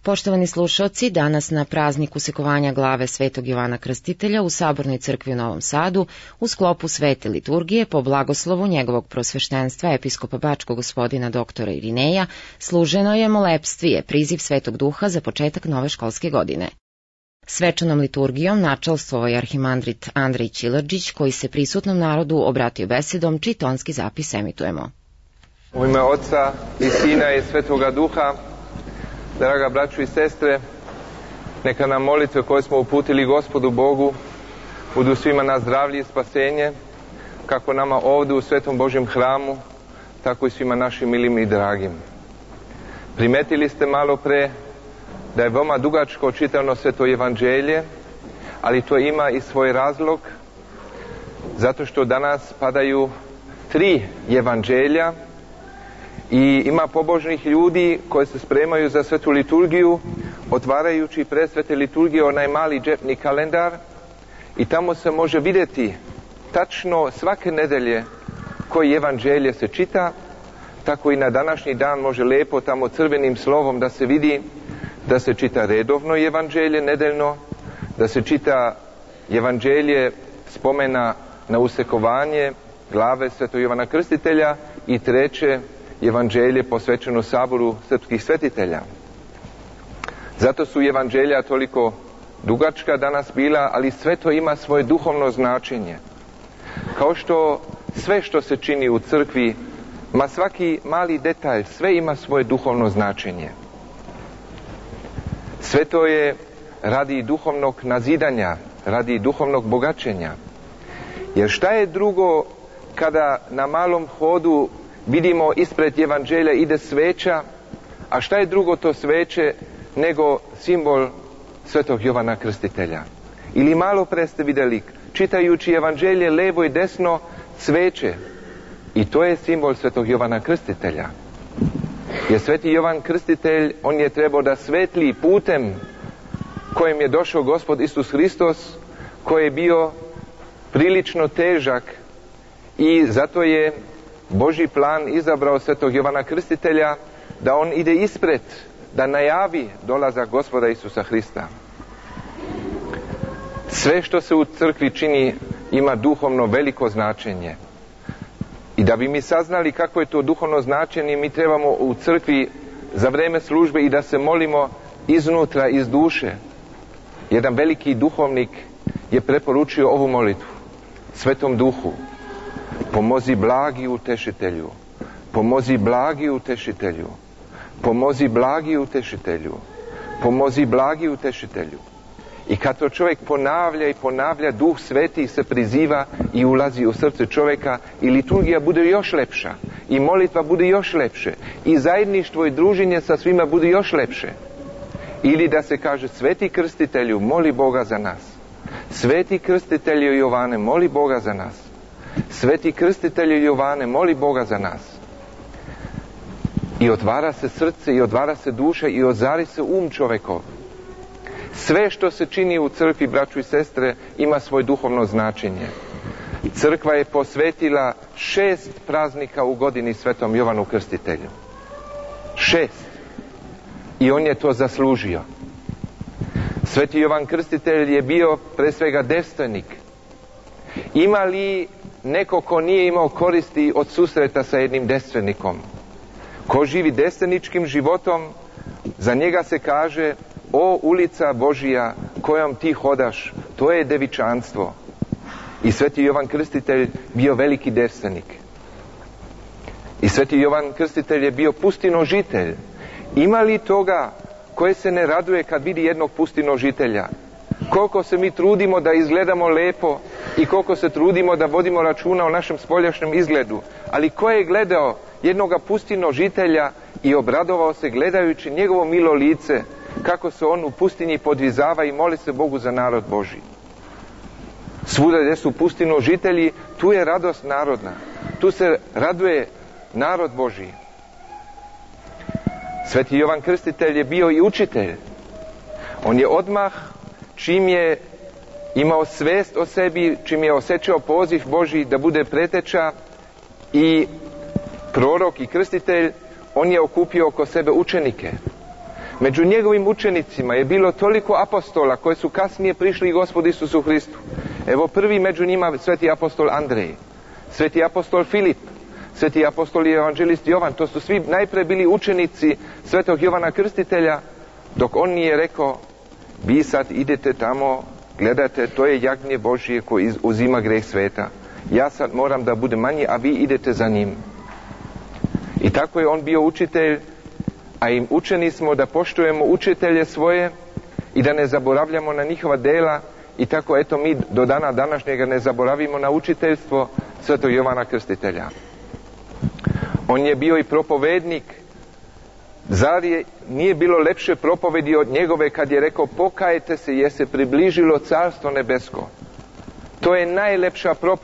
Poštovani slušaoci, danas na praznik usekovanja glave Svetog Jovana Krstitelja u Sabornoj crkvi u Novom Sadu, u sklopu svete liturgije, po blagoslovu njegovog prosveštenstva episkopa Bačkog gospodina doktora Irineja, služeno je molepstvije, priziv Svetog Duha za početak nove školske godine. Svečanom liturgijom načelstvovao je arhimandrit Andrej Ćilađić, koji se prisutnom narodu obratio besedom, čiji tonski zapis emitujemo. U ime Oca i Sina i Svetoga Duha, draga braćo i sestre, neka nam molitve koje smo uputili Gospodu Bogu budu svima na zdravlje i spasenje, kako nama ovdje u Svetom Božjem hramu, tako i svima našim milim i dragim. Primetili ste malo pre da je veoma dugačko čitano Sveto Evanđelje, ali to ima i svoj razlog, zato što danas padaju 3 evanđelja i ima pobožnih ljudi koji se spremaju za svetu liturgiju, otvarajući pred svete liturgije onaj mali džepni kalendar i tamo se može vidjeti tačno svake nedelje koji evanđelje se čita, tako i na današnji dan može lepo tamo crvenim slovom da se vidi da se čita redovno evanđelje nedeljno, da se čita evanđelje spomena na usekovanje glave Svetog Jovana Krstitelja i 3. evanđelje posvećeno saboru srpskih svetitelja. Zato su evanđelja toliko dugačka danas bila, ali sve to ima svoje duhovno značenje. Kao što sve što se čini u crkvi, ma svaki mali detalj, sve ima svoje duhovno značenje. Sve to je radi duhovnog nazidanja, radi duhovnog bogaćenja. Jer šta je drugo kada na malom hodu vidimo ispred evanđelja ide sveća, a šta je drugo to sveće nego simbol Svetog Jovana Krstitelja? Ili malo pre ste vidjeli, čitajući evanđelje levo i desno, sveće. I to je simbol Svetog Jovana Krstitelja. Jer Sveti Jovan Krstitelj, on je trebao da svetli putem kojim je došao Gospod Isus Hristos, koji je bio prilično težak i zato je Božji plan izabrao Svetog Jovana Krstitelja da on ide ispred, da najavi dolazak Gospoda Isusa Hrista. Sve što se u crkvi čini ima duhovno veliko značenje. I da bi mi saznali kako je to duhovno značenje, mi trebamo u crkvi za vreme službe i da se molimo iznutra, iz duše. Jedan veliki duhovnik je preporučio ovu molitvu. Svetom Duhu, pomozi blagi utešitelju, pomozi blagi utešitelju, pomozi blagi utešitelju, pomozi blagi utešitelju. I kad to čovjek ponavlja i ponavlja, Duh Sveti se priziva i ulazi u srce čovjeka i liturgija bude još lepša i molitva bude još lepše i zajedništvo i druženje sa svima bude još lepše. Ili da se kaže: Sveti Krstitelju, moli Boga za nas. Sveti Krstitelju Jovane, moli Boga za nas. Sveti Krstitelju Jovane, moli Boga za nas. I otvara se srce i otvara se duša i ozari se čovjekov. Sve što se čini u crkvi, braćo i sestre, ima svoje duhovno značenje. Crkva je posvetila 6 praznika u godini Svetom Jovanu Krstitelju. 6. I on je to zaslužio. Sveti Jovan Krstitelj je bio pre svega devstvenik. Ima li neko ko nije imao koristi od susreta sa jednim devstvenikom? Ko živi devstveničkim životom, za njega se kaže: o ulica Božija kojom ti hodaš, to je devičanstvo. I Sveti Jovan Krstitelj bio veliki devstvenik. I Sveti Jovan Krstitelj je bio pustinožitelj. Ima li toga koje se ne raduje kad vidi jednog pustinožitelja? Koliko se mi trudimo da izgledamo lepo i koliko se trudimo da vodimo računa o našem spoljašnjem izgledu. Ali ko je gledao jednoga pustinožitelja i obradovao se gledajući njegovo milo lice, kako se on u pustinji podvizava i moli se Bogu za narod Božji. Svuda gdje su pustinožitelji, tu je radost narodna. Tu se raduje narod Božji. Sveti Jovan Krstitelj je bio i učitelj. On je odmah, čim je imao svest o sebi, čim je osjećao poziv Božji da bude preteča i prorok i krstitelj, on je okupio oko sebe učenike. Među njegovim učenicima je bilo toliko apostola koji su kasnije prišli Gospodu Isusu Hristu. Evo prvi među njima sveti apostol Andrej, sveti apostol Filip, sveti apostol i evanđelist Jovan. To su svi najpre bili učenici svetog Jovana Krstitelja, dok on nije rekao: vi sad idete tamo, gledate, to je jagnje Božije koji uzima greh sveta. Ja sad moram da budem manji, a vi idete za njim. I tako je on bio učitelj, a im učeni smo da poštujemo učitelje svoje i da ne zaboravljamo na njihova dela. I tako eto mi do dana današnjega ne zaboravimo na učiteljstvo svetog Jovana Krstitelja. On je bio i propovednik. Zar nije bilo lepše propovedi od njegove kad je rekao: pokajte se jer se približilo carstvo nebesko. To je najlepša propoved